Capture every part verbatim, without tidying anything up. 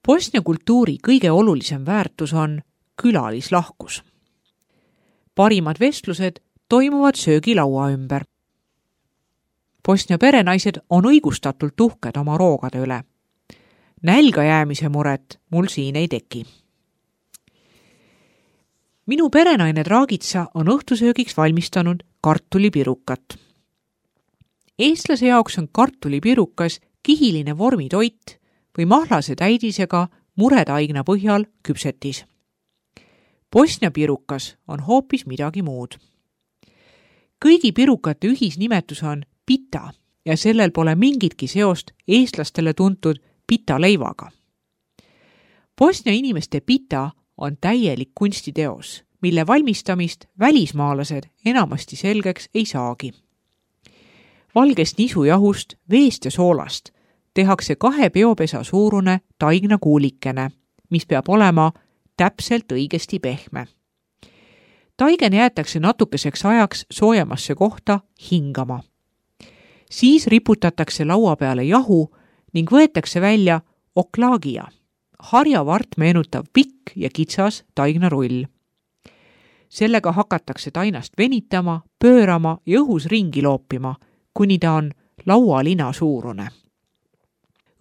Bosnia kultuuri kõige olulisem väärtus on külalislahkus. Parimad vestlused toimuvad söögilaua ümber. Bosnia perenaised on õigustatult uhked oma roogade üle. Nälga jäämise muret mul siin ei teki. Minu perenaine Dragica on õhtusöögiks valmistanud kartulipirukat. Eestlase jaoks on kartulipirukas kihiline vormitoit või mahlase täidisega muretaigna põhjal küpsetis. Bosnia pirukas on hoopis midagi muud. Kõigi pirukate ühisnimetus on pita ja sellel pole mingitki seost eestlastele tuntud pita leivaga. Bosnia inimeste pita on täielik kunstiteos, mille valmistamist välismaalased enamasti selgeks ei saagi. Valgest nisujahust, veest ja soolast tehakse kahe peopesa suurune taigna kuulikene, mis peab olema täpselt õigesti pehme. Taigen jäetakse natukeseks ajaks soojemasse kohta hingama. Siis riputatakse laua peale jahu ning võetakse välja oklaagia, harjavart meenutav pikk ja kitsas taignarull. Sellega hakatakse tainast venitama, pöörama ja õhus ringi loopima, kuni ta on laualina suurune.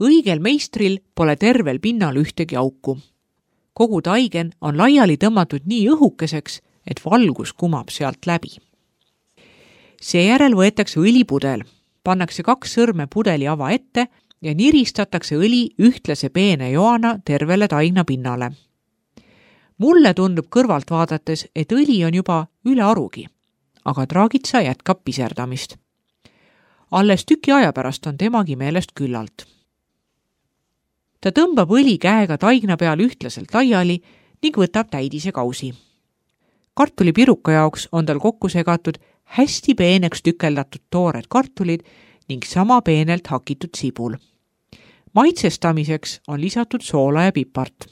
Õigel meistril pole tervel pinnal ühtegi auku. Kogu taigen on laiali tõmmatud nii õhukeseks, et valgus kumab sealt läbi. Seejärel võetakse õlipudel, pannakse kaks sõrme pudeli ava ette ja niristatakse õli ühtlase peene joana tervele taigna pinnale. Mulle tundub kõrvalt vaadates, et õli on juba üle arugi, aga Dragica jätkab piserdamist. Alles tüki aja pärast on temagi meelest küllalt. Ta tõmbab õli käega taigna peal ühtlaselt laiali ning võtab täidise kausi. Kartulipiruka jaoks on tal kokku segatud hästi peeneks tükeldatud toored kartulid ning sama peenelt hakitud sibul. Maitsestamiseks on lisatud soola ja pipart.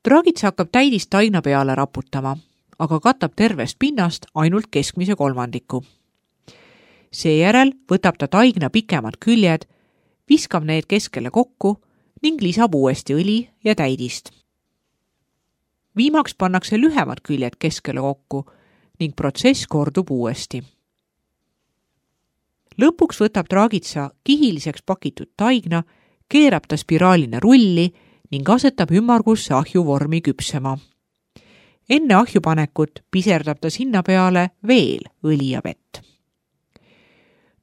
Dragica hakkab täidist taigna peale raputama, aga katab tervest pinnast ainult keskmise kolmandiku. Seejärel võtab ta taigna pikemad küljed, viskab need keskele kokku ning lisab uuesti õli ja täidist. Viimaks pannakse lühemad küljed keskele kokku ning protsess kordub uuesti. Lõpuks võtab Dragica kihiliseks pakitud taigna, keerab ta spiraalina rulli ning asetab ümmargusse ahju vormi küpsema. Enne ahju panekut piserdab ta sinna peale veel õli ja vett.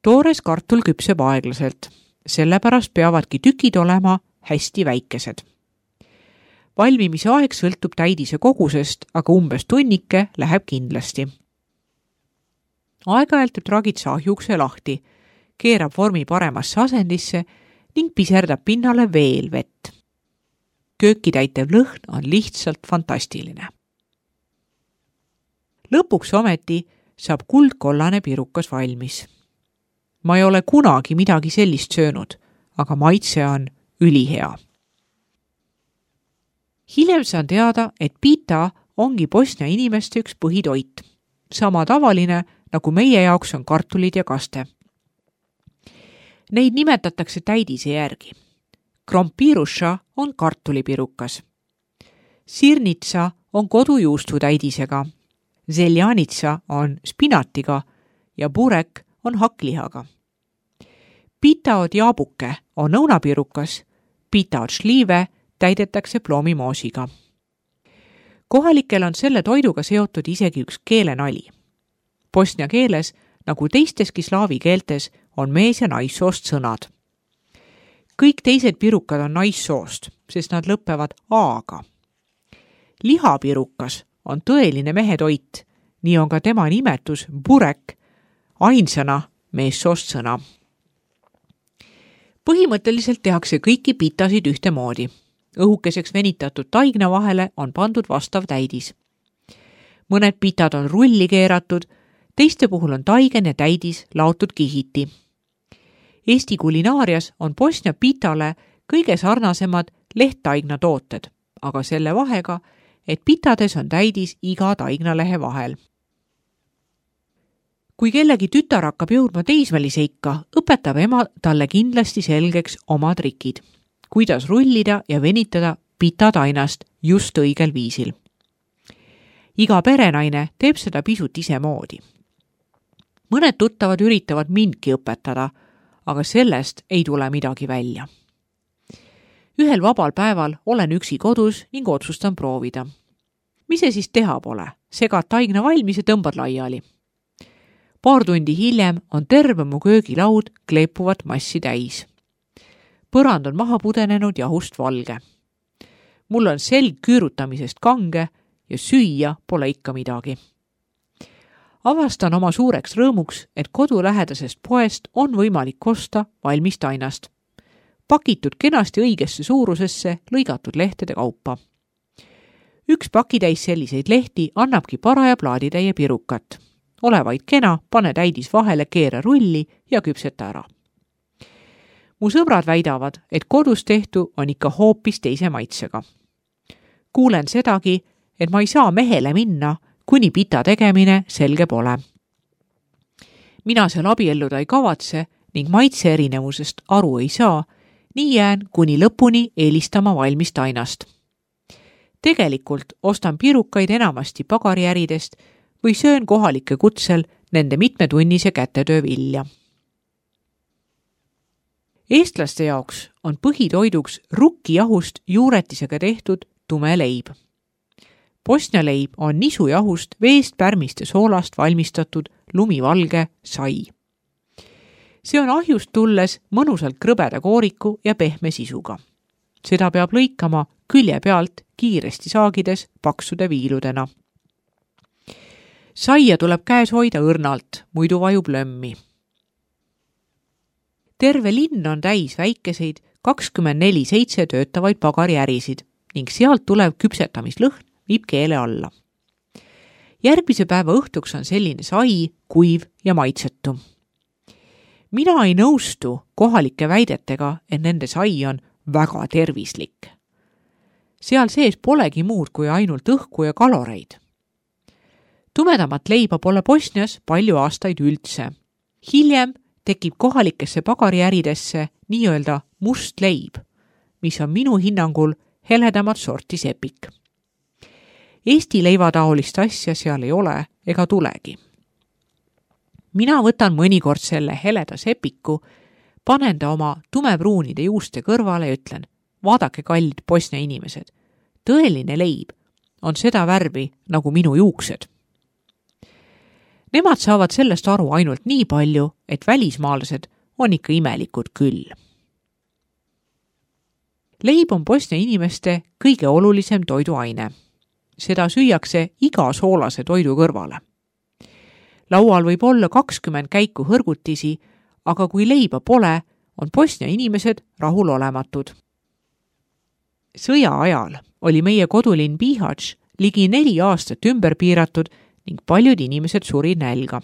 Toores kartul küpseb aeglaselt, sellepärast peavadki tükid olema hästi väikesed. Valmimise aeg sõltub täidise kogusest, aga umbes tunnike läheb kindlasti. Aeg-ajalt teeb Dragica ahjukse lahti, keerab vormi paremasse asendisse ning piserdab pinnale veel vett. Kööki täitev lõhn on lihtsalt fantastiline. Lõpuks ometi saab kuldkollane pirukas valmis. Ma ei ole kunagi midagi sellist söönud, aga maitse on ülihea. Hiljem saan teada, et pita ongi Bosnia inimeste üks põhitoit. Sama tavaline, nagu meie jaoks on kartulid ja kaste. Neid nimetatakse täidise järgi. Krompiruša on kartulipirukas. Sirnitsa on kodujuustu täidisega. Zeljanitsa on spinatiga ja burek on hakklihaga. Pita od jaabuke on õunapirukas, pita od šliive täidetakse ploomimoosiga. Kohalikel on selle toiduga seotud isegi üks keelenali. Bosnia keeles, nagu teisteski slaavi keeltes, on mees- ja naissoost sõnad. Kõik teised pirukad on naissoost, sest nad lõppevad A-ga. Lihapirukas on tõeline mehetoit, nii on ka tema nimetus burek, ainsana meessoost sõna. Põhimõtteliselt tehakse kõiki pitasid ühtemoodi. Õhukeseks venitatud taigna vahele on pandud vastav täidis. Mõned pitad on rulli keeratud, teiste puhul on taigen ja täidis laotud kihiti. Eesti kulinaarias on Bosnia pitale kõige sarnasemad lehttaigna tooted, aga selle vahega, et pitades on täidis iga taignalehe vahel. Kui kellegi tütar hakkab jõudma teismelise ikka, õpetab ema talle kindlasti selgeks oma trikid. kuidas rullida ja venitada pitatainast just õigel viisil. Iga perenaine teeb seda pisut isemoodi. Mõned tuttavad üritavad mindki õpetada, aga sellest ei tule midagi välja. Ühel vabal päeval olen üksi kodus ning otsustan proovida. Mis see siis teha pole? Segad taigna valmis ja tõmbad laiali. Paar tundi hiljem on terve mu köögilaud kleepuvat massi täis. Põrand on maha pudenenud jahust valge. Mul on selg küürutamisest kange ja süüa pole ikka midagi. Avastan oma suureks rõõmuks, et kodulähedasest poest on võimalik osta valmist ainast. Pakitud kenasti õigesse suurusesse lõigatud lehtede kaupa. Üks pakitäis selliseid lehti annabki paraja plaaditäie pirukat. Ole vaid kena, pane täidis vahele, keera rulli ja küpseta ära. Mu sõbrad väidavad, et kodus tehtu on ikka hoopis teise maitsega. Kuulen sedagi, et ma ei saa mehele minna, kuni pita tegemine selge pole. Mina seal abielluda ei kavatse ning maitse erinevusest aru ei saa, nii jään kuni lõpuni eelistama valmist ainast. Tegelikult ostan pirukaid enamasti pagariäridest või söön kohalike kutsel nende mitmetunnise kätetöö vilja. Eestlaste jaoks on põhitoiduks rukkijahust juuretisega tehtud tume leib. Bosnia leib on nisujahust, veest, pärmist ja soolast valmistatud lumivalge sai. See on ahjust tulles mõnusalt krõbeda kooriku ja pehme sisuga. Seda peab lõikama külje pealt kiiresti saagides paksude viiludena. Saia tuleb käes hoida õrnalt, muidu vajub lömmi. Terve linn on täis väikeseid kakskümmend neli seitse töötavaid pagariärisid ning sealt tulev küpsetamislõhn viib keele alla. Järgmise päeva õhtuks on selline sai, kuiv ja maitsetu. Mina ei nõustu kohalike väidetega, et nende sai on väga tervislik. Seal sees polegi muud kui ainult õhku ja kaloreid. Tumedamat leiba pole Bosnias palju aastaid üldse. Hiljem tekib kohalikesse pagariäridesse nii-öelda must leib, mis on minu hinnangul heledamat sorti sepik. Eesti leivataolist asja seal ei ole ega tulegi. Mina võtan mõnikord selle heleda sepiku, panen ta oma tumepruunide juuste kõrvale ja ütlen, vaadake kallid Bosnia inimesed, tõeline leib on seda värvi nagu minu juuksed. Nemad saavad sellest aru ainult nii palju, et välismaalased on ikka imelikud küll. Leib on Bosnia inimeste kõige olulisem toiduaine. Seda süüakse iga soolase toidu kõrvale. Laual võib olla kakskümmend käiku hõrgutisi, aga kui leiba pole, on Bosnia inimesed rahulolematud. Sõja ajal oli meie kodulinn Bihać ligi neli aastat ümber piiratud ning paljud inimesed suri nälga.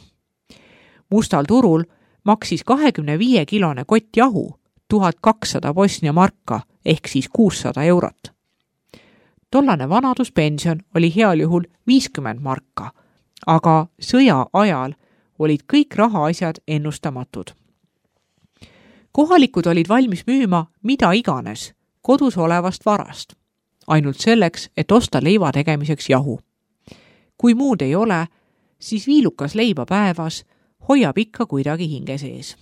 Mustal turul maksis kahekümne viie kilone kott jahu tuhat kakssada Bosnia marka ehk siis kuussada eurot. Tollane vanaduspension oli heal juhul viiskümmend marka, aga sõja ajal olid kõik rahaasjad ennustamatud. Kohalikud olid valmis müüma mida iganes kodus olevast varast, ainult selleks, et osta leiva tegemiseks jahu. Kui muud ei ole, siis viilukas leiba päevas hoiab ikka kuidagi hinge sees.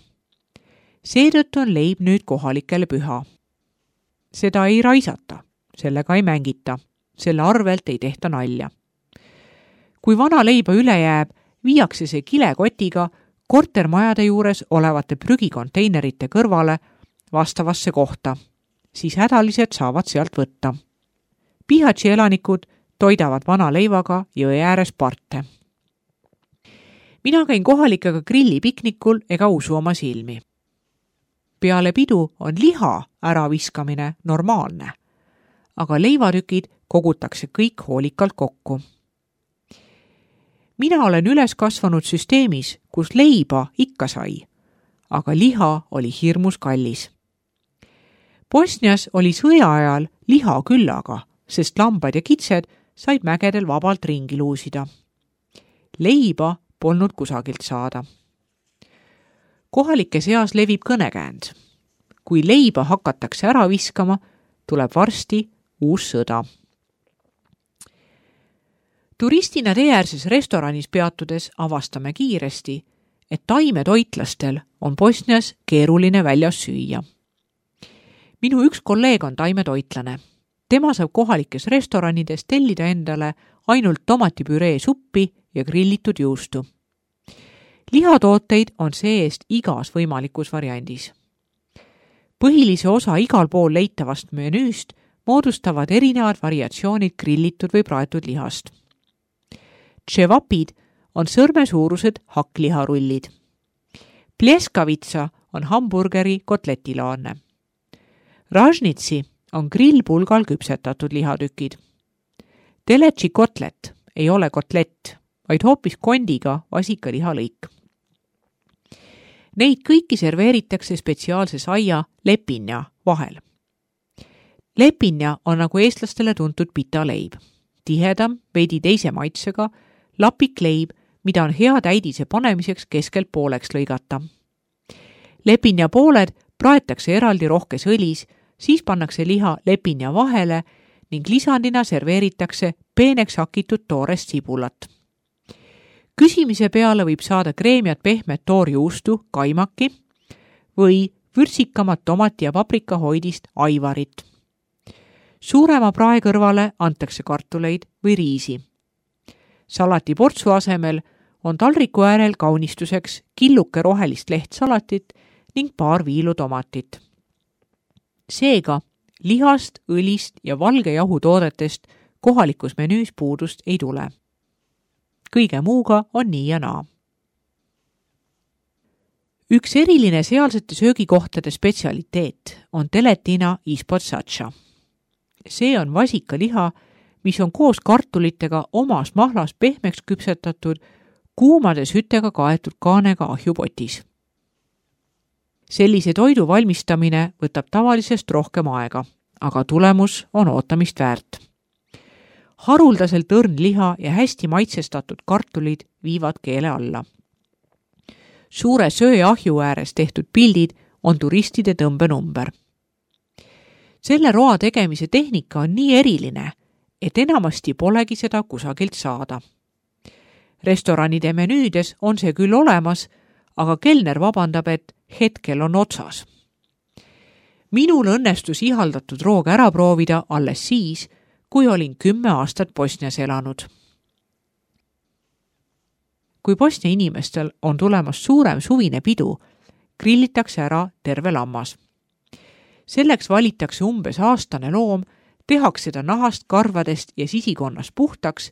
Seetõttu on leib nüüd kohalikele püha. Seda ei raisata, sellega ei mängita, selle arvelt ei tehta nalja. Kui vana leiba üle jääb, viiakse see kilekotiga kortermajade juures olevate prügikonteinerite kõrvale vastavasse kohta, siis hädalised saavad sealt võtta. Bihać elanikud toidavad vana leivaga jõe ääres parte. Mina käin kohalikega grillipiknikul ega usu oma silmi. Peale pidu on liha äraviskamine normaalne, aga leivatükid kogutakse kõik hoolikalt kokku. Mina olen üles kasvanud süsteemis, kus leiba ikka sai, aga liha oli hirmus kallis. Bosnias oli sõja ajal liha küllaga, sest lambad ja kitsed said mägedel vabalt ringi luusida. Leiba polnud kusagilt saada. Kohalike seas levib kõnekäänd. kui leiba hakatakse ära viskama, tuleb varsti uus sõda. Turistina teeäärses restoranis peatudes avastame kiiresti, et taimetoitlastel on Bosnias keeruline väljas süüa. Minu üks kolleeg on taimetoitlane. Tema saab kohalikes restoranides tellida endale ainult tomatipüree suppi ja grillitud juustu. Lihatooteid on see-eest igas võimalikus variandis. Põhilise osa igal pool leitavast menüüst moodustavad erinevad variatsioonid grillitud või praetud lihast. Tševapid on sõrmesuurused hakkliharullid. Pleskavitsa on hamburgeri kotletilaanne. Ražnitsi on grillpulgal küpsetatud lihatükid. Teletši kotlet ei ole kotlett, vaid hoopis kondiga vasikalihalõik. Neid kõiki serveeritakse spetsiaalse saia lepinja vahel. Lepinja on nagu eestlastele tuntud pitaleib. Tihedam, veidi teise maitsega, lapik leib, mida on hea täidise panemiseks keskelt pooleks lõigata. Lepinja pooled praetakse eraldi rohkes õlis, siis pannakse liha lepinja vahele ning lisandina serveeritakse peeneks hakitud toorest sibulat. Küsimise peale võib saada kreemiat pehmet toorjuustu, kaimaki või vürtsikamat tomati ja paprika hoidist aivarit. Suurema prae kõrvale antakse kartuleid või riisi. Salati portsu asemel on taldriku äärel kaunistuseks killuke rohelist lehtsalatit ning paar viilu tomatit. Seega lihast, õlist ja valge jahutoodetest kohalikus menüüs puudust ei tule. Kõige muuga on nii ja naa. Üks eriline sealsete söögikohtade spetsialiteet on teletina ispod satša. See on vasikaliha, mis on koos kartulitega omas mahlas pehmeks küpsetatud, kuumade sütega kaetud kaanega ahjupotis. Sellise toidu valmistamine võtab tavalisest rohkem aega, aga tulemus on ootamist väärt. Haruldaselt õrn liha ja hästi maitsestatud kartulid viivad keele alla. Suure söö ahju ääres tehtud pildid on turistide tõmbenumber. Selle roa tegemise tehnika on nii eriline, et enamasti polegi seda kusagilt saada. Restoranide menüüdes on see küll olemas, aga kelner vabandab, et hetkel on otsas. Minul õnnestus ihaldatud rooga ära proovida alles siis, kui olin kümme aastat Bosnias elanud. Kui Bosnia inimestel on tulemas suurem suvine pidu, grillitakse ära terve lammas. Selleks valitakse umbes aastane loom, tehakse ta nahast, karvadest ja sisikonnast puhtaks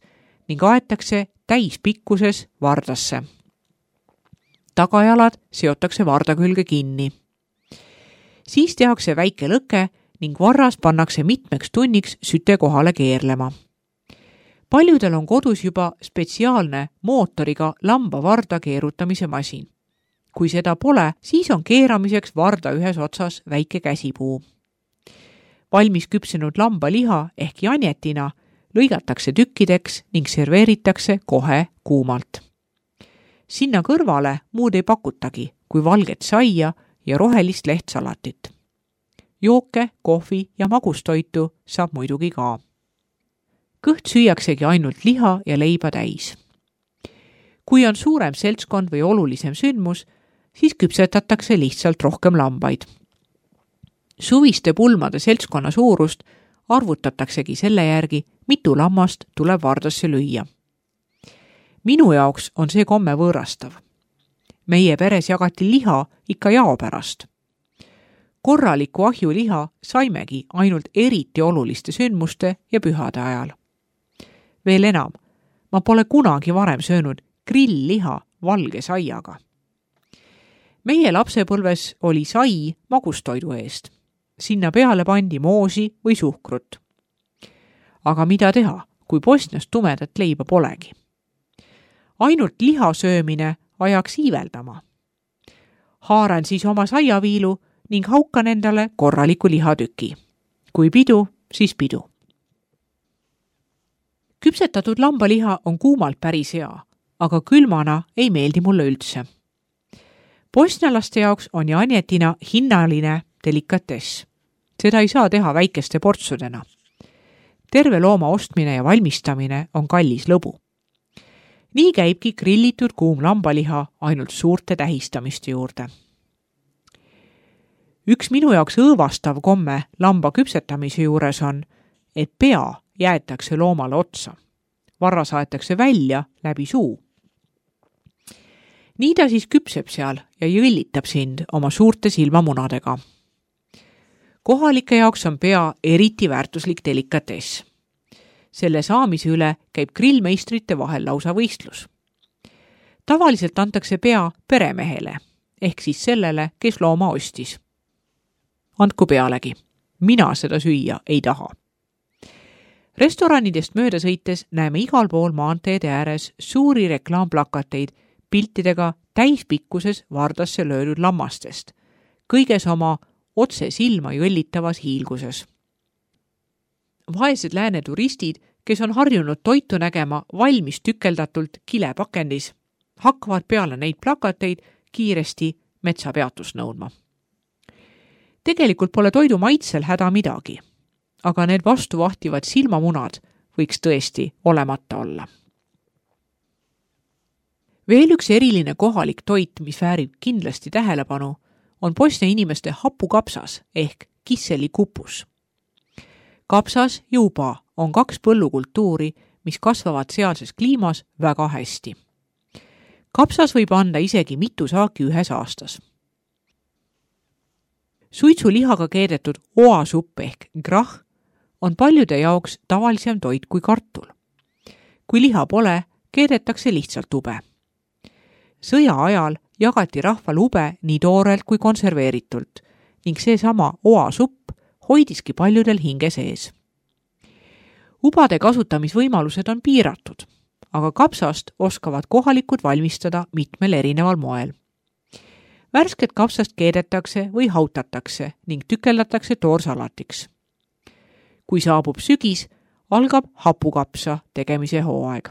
ning aetakse täispikkuses vardasse. Tagajalad seotakse varda külge kinni. Siis tehakse väike lõke ning varras pannakse mitmeks tunniks süte kohale keerlema. Paljudel on kodus juba spetsiaalne mootoriga lamba varda keerutamise masin. Kui seda pole, siis on keeramiseks varda ühes otsas väike käsipuu. Valmis küpsenud lambaliha ehk janjetina lõigatakse tükkideks ning serveeritakse kohe kuumalt. Sinna kõrvale muud ei pakutagi kui valget saia ja rohelist lehtsalatit. Jooke, kohvi ja magustoitu saab muidugi ka. Kõht süüaksegi ainult liha ja leiba täis. Kui on suurem seltskond või olulisem sündmus, siis küpsetatakse lihtsalt rohkem lambaid. Suviste pulmade seltskonna suurust arvutataksegi selle järgi, mitu lammast tuleb vardasse lüüa. Minu jaoks on see komme võõrastav. Meie peres jagati liha ikka jao pärast. Korraliku ahjuliha saimegi ainult eriti oluliste sündmuste ja pühade ajal. Veel enam, ma pole kunagi varem söönud grillliha valge saiaga. Meie lapsepõlves oli sai magustoidu eest. Sinna peale pandi moosi või suhkrut. Aga mida teha, kui Bosnias tumedat leiba polegi? Ainult liha söömine ajaks iiveldama. Haaran siis oma saiaviilu ning haukan endale korraliku lihatüki. Kui pidu, siis pidu. Küpsetatud lambaliha on kuumalt päris hea, aga külmana ei meeldi mulle üldse. Bosnialaste jaoks on janjetina hinnaline delikatess. Seda ei saa teha väikeste portsudena. Terve looma ostmine ja valmistamine on kallis lõbu. Nii käibki grillitud kuum lambaliha ainult suurte tähistamiste juurde. Üks minu jaoks õõvastav komme lamba küpsetamise juures on, et pea jäetakse loomale otsa. Varra saetakse välja läbi suu. Nii ta siis küpseb seal ja jõllitab sind oma suurte silmamunadega. Kohalike jaoks on pea eriti väärtuslik delikatess. Selle saamise üle käib grillmeistrite vahel lausa võistlus. Tavaliselt antakse pea peremehele, ehk siis sellele, kes looma ostis. Andku pealegi, mina seda süüa ei taha. Restoranidest mööda sõites näeme igal pool maanteede ääres suuri reklaamplakateid piltidega täispikkuses vardasse löödud lammastest, kõiges oma otse silma jõllitavas hiilguses. Vaesed lääne turistid, kes on harjunud toitu nägema valmis tükeldatult kilepakendis, hakkavad peale neid plakateid kiiresti metsapeatust nõudma. Tegelikult pole toidu maitsel häda midagi, aga need vastuvahtivad silmamunad võiks tõesti olemata olla. Veel üks eriline kohalik toit, mis väärib kindlasti tähelepanu, on Bosnia inimeste hapukapsas ehk kisselikupus. Kapsas ja uba on kaks põllukultuuri, mis kasvavad sealses kliimas väga hästi. Kapsas võib anda isegi mitu saaki ühes aastas. Suitsulihaga keedetud oasupp ehk grah on paljude jaoks tavalisem toit kui kartul. Kui liha pole, keedetakse lihtsalt ube. Sõja ajal jagati rahval ube nii toorelt kui konserveeritult ning seesama oasupp hoidiski paljudel hinge sees. Ubade kasutamisvõimalused on piiratud, aga kapsast oskavad kohalikud valmistada mitmel erineval moel. Värsket kapsast keedetakse või hautatakse ning tükeldatakse toorsalatiks. Kui saabub sügis, algab hapukapsa tegemise hooaeg.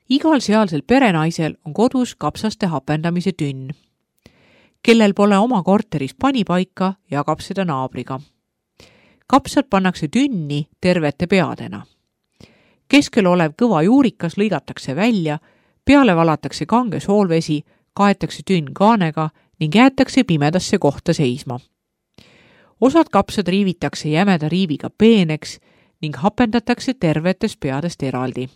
Igal sealsel perenaisel on kodus kapsaste hapendamise tünn. Kellel pole oma korteris panipaika, jagab seda naabriga. Kapsad pannakse tünni tervete peadena. Keskel olev kõva juurikas lõigatakse välja, peale valatakse kange soolvesi, kaetakse tünn kaanega ning jäetakse pimedasse kohta seisma. Osad kapsad riivitakse jämeda riiviga peeneks ning hapendatakse tervetest peadest eraldi.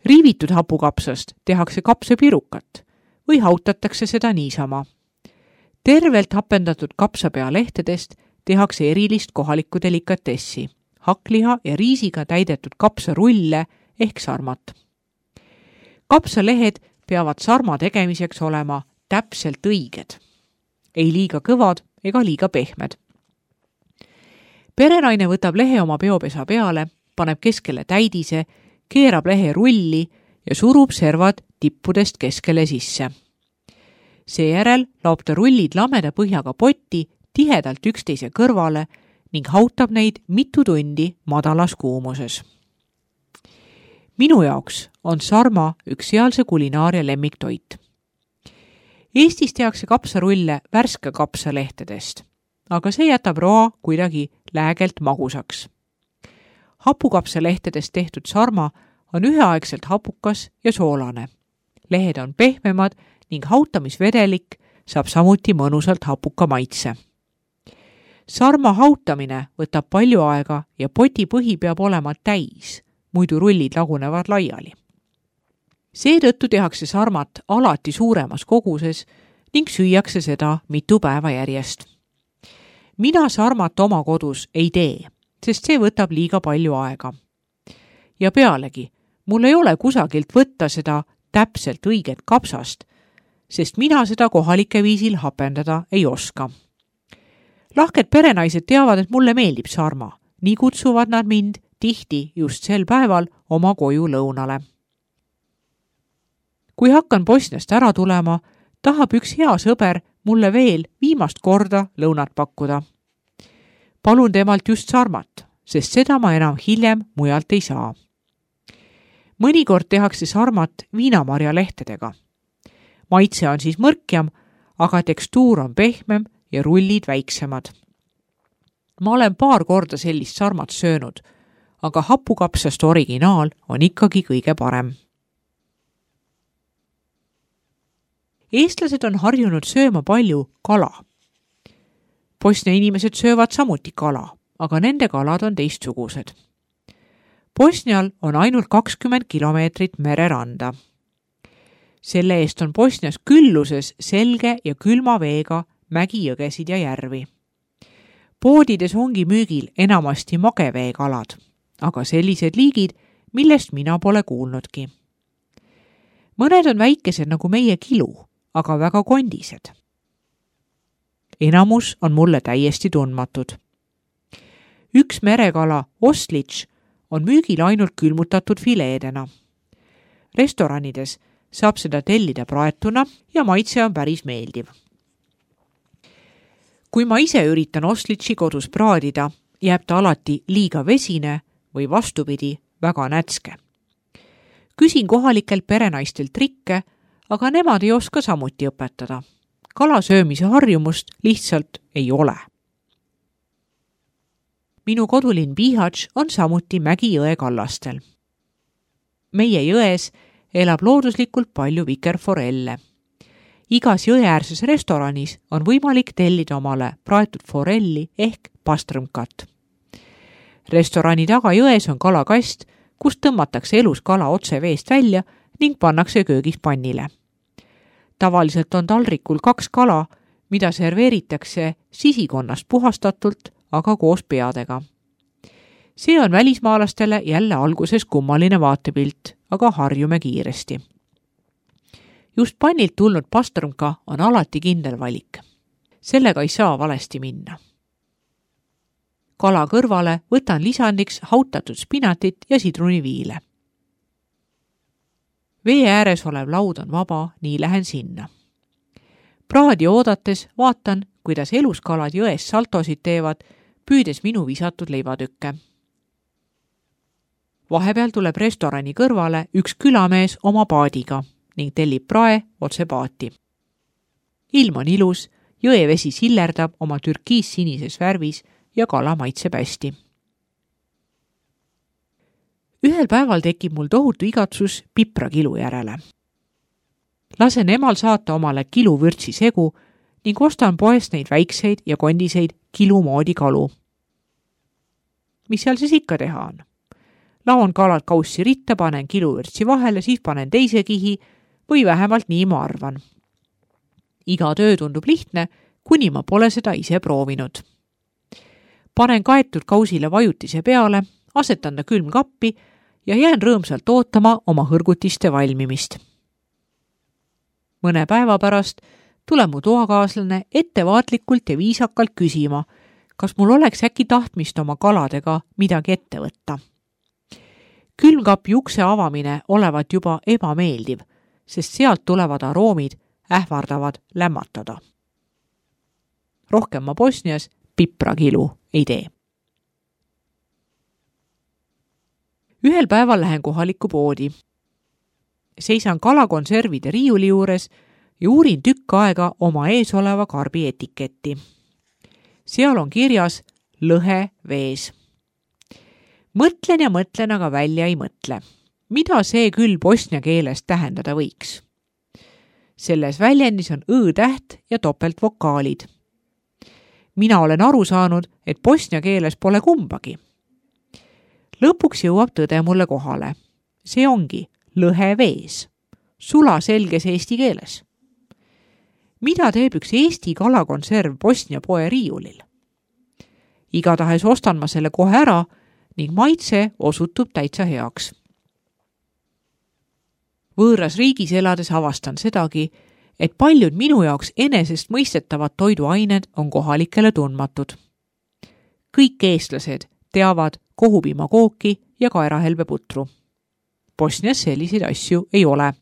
Riivitud hapukapsast tehakse kapsapirukat või hautatakse seda niisama. Tervelt hapendatud kapsapea lehtedest tehakse erilist kohalikku delikatessi, hakkliha ja riisiga täidetud kapsarulle ehk sarmat. Kapsalehed peavad sarma tegemiseks olema täpselt õiged, ei liiga kõvad ega liiga pehmed. Perenaine võtab lehe oma peopesa peale, paneb keskele täidise, keerab lehe rulli ja surub servad tippudest keskele sisse. Seejärel laob ta rullid lameda põhjaga potti tihedalt üksteise kõrvale ning hautab neid mitu tundi madalas kuumuses. Minu jaoks on sarma üks sealse kulinaaria lemmiktoit. Eestis tehakse kapsarulle värske kapsalehtedest, aga see jätab roa kuidagi läägelt magusaks. Hapukapsalehtedest tehtud sarma on üheaegselt hapukas ja soolane. Lehed on pehmemad ning hautamisvedelik saab samuti mõnusalt hapuka maitse. Sarma hautamine võtab palju aega ja poti põhi peab olema täis, muidu rullid lagunevad laiali. Seetõttu tehakse sarmat alati suuremas koguses ning süüakse seda mitu päeva järjest. Mina sarmat oma kodus ei tee, sest see võtab liiga palju aega. Ja pealegi, mul ei ole kusagilt võtta seda täpselt õiget kapsast, sest mina seda kohalike viisil hapendada ei oska. Lahked perenaised teavad, et mulle meeldib sarma, nii kutsuvad nad mind tihti just sel päeval oma koju lõunale. Kui hakkan Bosniast ära tulema, tahab üks hea sõber mulle veel viimast korda lõunat pakkuda. Palun temalt just sarmat, sest seda ma enam hiljem mujalt ei saa. Mõnikord tehakse sarmat viinamarja lehtedega. Maitse on siis mõrkjam, aga tekstuur on pehmem ja rullid väiksemad. Ma olen paar korda sellist sarmat söönud, aga hapukapsast originaal on ikkagi kõige parem. Eestlased on harjunud sööma palju kala. Bosnia inimesed söövad samuti kala, aga nende kalad on teistsugused. Bosnial on ainult kakskümmend kilomeetrit mereranda. Selle eest on Bosnias külluses selge ja külma veega mägijõgesid ja järvi. Poodides ongi müügil enamasti mageveekalad, aga sellised liigid, millest mina pole kuulnudki. Mõned on väikesed nagu meie kilu, aga väga kondised. Enamus on mulle täiesti tundmatud. Üks merekala, oslitš, on müügil ainult külmutatud fileedena. Restoranides saab seda tellida praetuna ja maitse on päris meeldiv. Kui ma ise üritan oslitši kodus praadida, jääb ta alati liiga vesine või vastupidi väga nätske. Küsin kohalikelt perenaistel trikke, aga nemad ei oska samuti õpetada. Kala söömise harjumust lihtsalt ei ole. Minu kodulinn Bihać on samuti Mägi-jõe kallastel. Meie jões elab looduslikult palju vikerforelle. Igas jõeäärses restoranis on võimalik tellida omale praetud forelli ehk pastrõmkat. Restorani taga jões on kalakast, kus tõmmatakse elus kala otse veest välja ning pannakse köögis pannile. Tavaliselt on taldrikul kaks kala, mida serveeritakse sisikonnast puhastatult, aga koos peadega. See on välismaalastele jälle alguses kummaline vaatepilt, aga harjume kiiresti. Just pannilt tulnud pastrõmka on alati kindel valik. Sellega ei saa valesti minna. Kala kõrvale võtan lisandiks hautatud spinatit ja sidruniviile. Vee ääres olev laud on vaba, nii lähen sinna. Praadi oodates vaatan, kuidas eluskalad jões saltosid teevad, püüdes minu visatud leivatükke. Vahepeal tuleb restorani kõrvale üks külamees oma paadiga ning tellib prae otse paati. Ilm on ilus, jõevesi sillerdab oma türkiis sinises värvis ja kala maitseb hästi. Ühel päeval tekib mul tohutu igatsus piprakilu järele. Lasen emal saata omale kilu vürtsi segu ning ostan poest neid väikseid ja kondiseid kilu moodi kalu. Mis seal siis ikka teha on? Laon kalad kaussi ritta, panen kilu vürtsi vahele, siis panen teise kihi või vähemalt nii ma arvan. Iga töö tundub lihtne, kuni ma pole seda ise proovinud. Panen kaetud kausile vajutise peale, asetan ta külmkappi ja jään rõõmsalt ootama oma hõrgutiste valmimist. Mõne päeva pärast tuleb mu toakaaslane ettevaatlikult ja viisakalt küsima, kas mul oleks äkki tahtmist oma kaladega midagi ette võtta. Külmkapi ukse avamine olevat juba ebameeldiv, sest sealt tulevad aroomid ähvardavad lämmatada. Rohkem ma Bosnias piprakilu ei tee. Ühel päeval lähen kohalikku poodi. Seisan kalakonservide riiuli juures ja uurin tükk aega oma ees oleva karbi etiketti. Seal on kirjas lõhe vees. Mõtlen ja mõtlen, aga välja ei mõtle. Mida see küll bosnia keeles tähendada võiks? Selles väljendis on õ-täht ja topeltvokaalid. Mina olen aru saanud, et bosnia keeles pole kumbagi. Lõpuks jõuab tõde mulle kohale. See ongi lõhe vees. Sula selges eesti keeles. Mida teeb üks eesti kalakonserv Bosnia poe riiulil? Igatahes ostan ma selle kohe ära ning maitse osutub täitsa heaks. Võõras riigis elades avastan sedagi, et paljud minu jaoks enesest mõistetavad toiduained on kohalikele tundmatud. Kõik eestlased teavad kohupiimakooki ja kaerahelbeputru. Bosnias selliseid asju ei ole.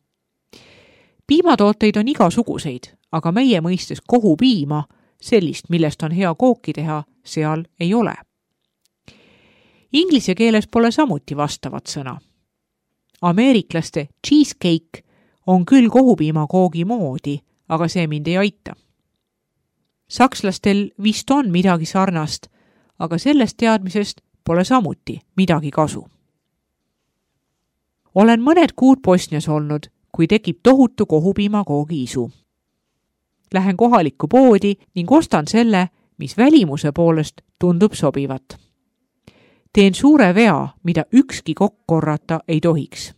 Piimatooteid on igasuguseid, aga meie mõistes kohupiima, sellist, millest on hea kooki teha, seal ei ole. Inglise keeles pole samuti vastavat sõna. Ameeriklaste cheesecake on küll kohupiimakoogi moodi, aga see mind ei aita. Sakslastel vist on midagi sarnast, aga sellest teadmisest pole samuti midagi kasu. Olen mõned kuud Bosnias olnud, kui tekib tohutu kohupiimakoogi isu. Lähen kohalikku poodi ning ostan selle, mis välimuse poolest tundub sobivat. Teen suure vea, mida ükski kokk korrata ei tohiks.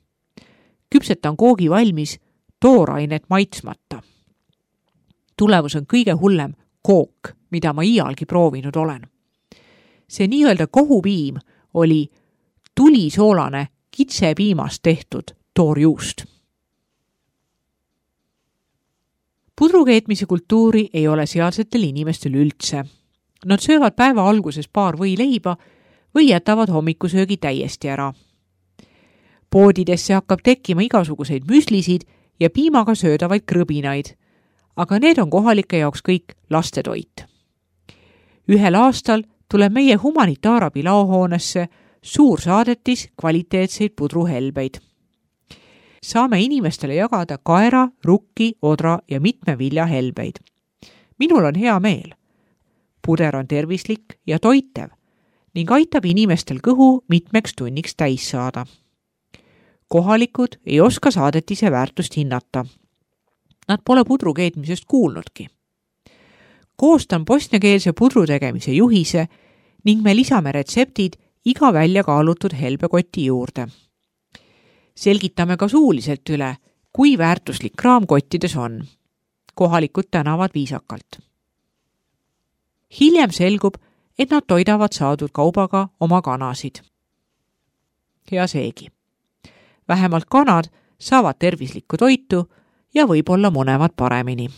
Küpsetan koogi valmis, toorainet maitsmata. Tulemus on kõige hullem kook, mida ma iialgi proovinud olen. See nii-öelda kohupiim oli tulisoolane kitsepiimast tehtud toorjuust. Pudrukeetmise kultuuri ei ole sealsetel inimestel üldse. Nad söövad päeva alguses paar võileiba või jätavad hommikusöögi täiesti ära. Poodidesse hakkab tekkima igasuguseid müslisid ja piimaga söödavaid krõbinaid, aga need on kohalike jaoks kõik lastetoit. Ühel aastal tuleb meie humanitaarabi laohoonesse suur saadetis kvaliteetseid pudruhelbeid. Saame inimestele jagada kaera, rukki, odra ja mitme vilja helbeid. Minul on hea meel. Puder on tervislik ja toitev ning aitab inimestel kõhu mitmeks tunniks täis saada. Kohalikud ei oska saadetise väärtust hinnata. Nad pole pudru keetmisest kuulnudki. Koostan bosniakeelse pudru tegemise juhise ning me lisame retseptid iga välja kaalutud helbekoti juurde. Selgitame ka suuliselt üle, kui väärtuslik kraam kottides on. Kohalikud tänavad viisakalt. Hiljem selgub, et nad toidavad saadud kaubaga oma kanasid. Hea seegi. Vähemalt kanad saavad tervislikku toitu ja võib-olla munevad paremini.